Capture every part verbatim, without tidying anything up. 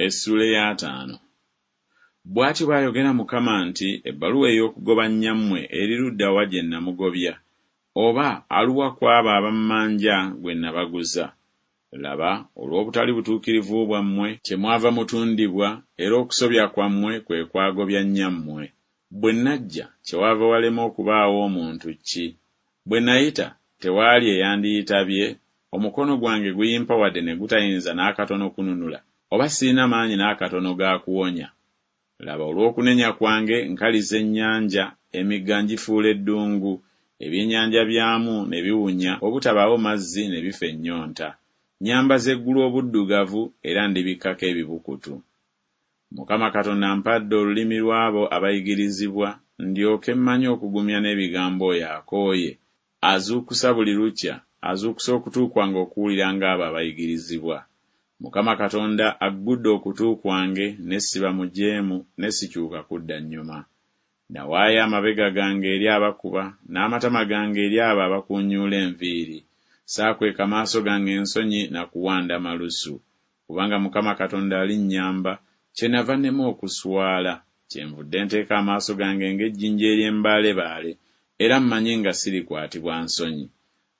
Essuula ey'ataano. Bw'atyo bw'ayogera Mukama nti, Ebbaluwa ey'okugoba nnyammwe eri ludda wa gye namugobya? Oba aluwa ku abo abammanja gwe nabaguza? Laba, olw'obutali butuukirivu bwammwe kyemwava mutundibwa, era okusobya kwammwe kwe kwagobya nnyammwe. Bwe najja, kyewaava walema okubaawo omuntu ki? Bwe nayita, tewaali eyandiyitabye? Omukono gwange guyimpawadde ne gutayinza n'akatono kununula, oba sirina maanyi n'akatono ga kuwonya? Laba, olw'okunenya kwange nkaliza ennyanja, emigga ngifuula eddungu, ebyennyanja byamu ne biwunya obutabaawo mazzi ne bifa ennyonta. Nnyambaza eggulu obuddugavu, era ndibikkako ebibukutu. Mukama Katonda ampadde olulimi lw'abo abayigirizibwa, ndyoke mmanye okugumya n'ebigambo oyo akooye. Azuukusa buli lukya, azuukusa okutu kwange okuwulira ng'abo abayigirizibwa. Mukama Katonda aggudde okutu kwange, ne siba mujeemu, ne sikyuka kudda nnyuma. Nawaayo amabega gange eri abakuba, n'amatama gange eri abo abakuunyuula enviiri. Saakweka maaso gange ensonyi na kuwanda malusu. Kubanga Mukama Katonda alinnyamba, kyenava nnema okuswala, kyenvudde nteeka amaaso gange ng'ejjinja ery'embaalebaale, era mmanyi nga sirikwatibwa nsonyi.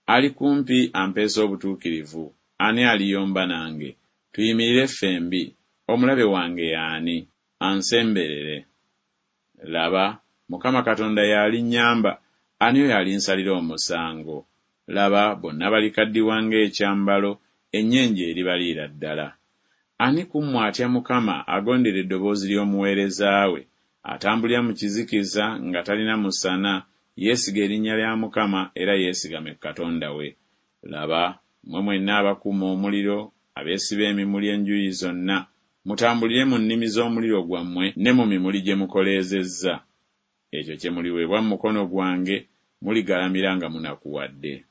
Ali kumpi ampeesa obutuukirivu, ani aliyomba nange? Tuyimirire ffembi. Omulabe wange y'ani? Ansemberere. Laba, Mukama Katonda y'alinnyamba, ani oyo alinsalira omusango? Laba, bonna balikaddiwa ng'ekyambalo, ennyenje eribaliira ddala. Ani ku mmwe atya Mukama, agondera eddoboozi ly'omuweereza we, atambulira mu kizikiza nga talina musana, yeesiga erinnya lya Mukama era yeesigame ku Katonda we. Laba, mmwe mwenna abakuma omuliro, abeesiba emimuli enjuyi zonna, mutambulire mu nnimi z'omuliro gwammwe ne mu mimuli gye mukoleezezza. Ekyo kye muliweebwa mu mukono gwange, muligalamira nga munakuwadde.